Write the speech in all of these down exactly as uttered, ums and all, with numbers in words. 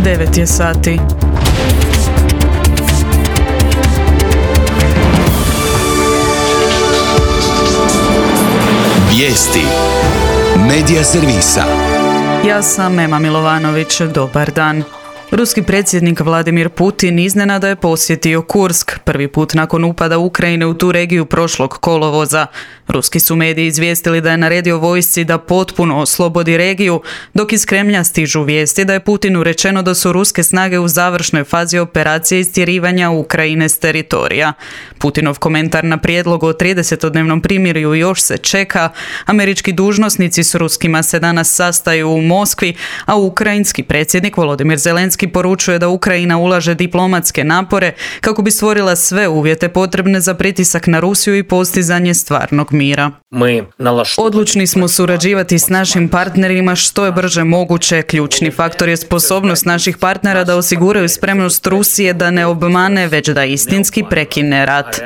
devet je sati. Vijesti Medija servisa. Ja sam Ema Milovanović, dobar dan. Ruski predsjednik Vladimir Putin iznenada je posjetio Kursk, prvi put nakon upada Ukrajine u tu regiju prošlog kolovoza. Ruski su mediji izvijestili da je naredio vojsci da potpuno oslobodi regiju, dok iz Kremlja stižu vijesti da je Putinu rečeno da su ruske snage u završnoj fazi operacije istjerivanja Ukrajine s teritorija. Putinov komentar na prijedlog o tridesetodnevnom primirju još se čeka. Američki dužnosnici s ruskima se danas sastaju u Moskvi, a ukrajinski predsjednik Volodimir Zelenski poručuje da Ukrajina ulaže diplomatske napore kako bi stvorila sve uvjete potrebne za pritisak na Rusiju i postizanje stvarnog mira. Odlučni smo surađivati s našim partnerima što je brže moguće. Ključni faktor je sposobnost naših partnera da osiguraju spremnost Rusije da ne obmane, već da istinski prekine rat.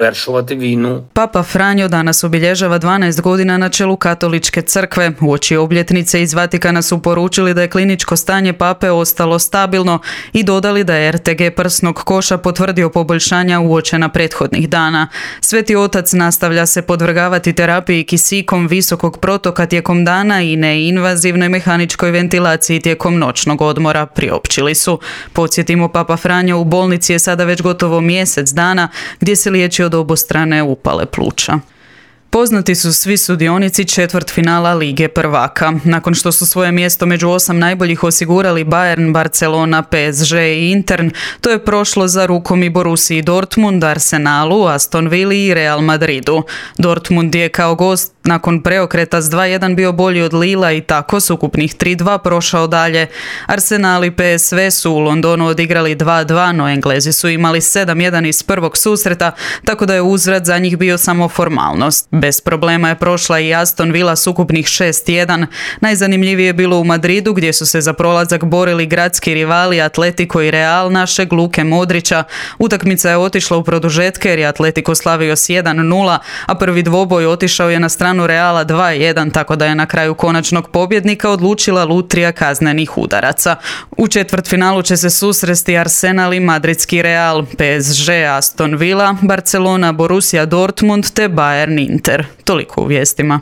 Papa Franjo danas obilježava dvanaest godina na čelu Katoličke crkve. Uoči obljetnice iz Vatikana su poručili da je kliničko stanje pape ostalo stabilno i dodali da je er te ge prsnog koša potvrdio poboljšanja uočena prethodnih dana. Sveti otac nastavlja se podvrgavati terapiji kisikom visokog protoka tijekom dana i neinvazivnoj mehaničkoj ventilaciji tijekom noćnog odmora, priopćili su. Podsjetimo, Papa Franjo u bolnici je sada već gotovo mjesec dana gdje se liječi od obostrane upale pluća. Poznati su svi sudionici četvrtfinala Lige prvaka. Nakon što su svoje mjesto među osam najboljih osigurali Bayern, Barcelona, pe es že i Inter, to je prošlo za rukom i Borussiji Dortmund, Arsenalu, Aston Villi i Real Madridu. Dortmund je kao gost nakon preokreta s dva jedan bio bolji od Lila i tako s ukupnih tri dva prošao dalje. Arsenal i pe es ve su u Londonu odigrali dva dva, no Englezi su imali sedam jedan iz prvog susreta, tako da je uzvrat za njih bio samo formalnost. Bez problema je prošla i Aston Villa s ukupnih šest jedan. Najzanimljivije je bilo u Madridu gdje su se za prolazak borili gradski rivali Atletico i Real našeg Luke Modrića. Utakmica je otišla u produžetke jer je Atletico slavio s jedan nula, a prvi dvoboj otišao je na stranu Reala dva jedan, tako da je na kraju konačnog pobjednika odlučila lutrija kaznenih udaraca. U četvrtfinalu će se susresti Arsenal i madridski Real, pe es že Aston Villa, Barcelona, Borussia Dortmund te Bayern Inter. Toliko u vijestima.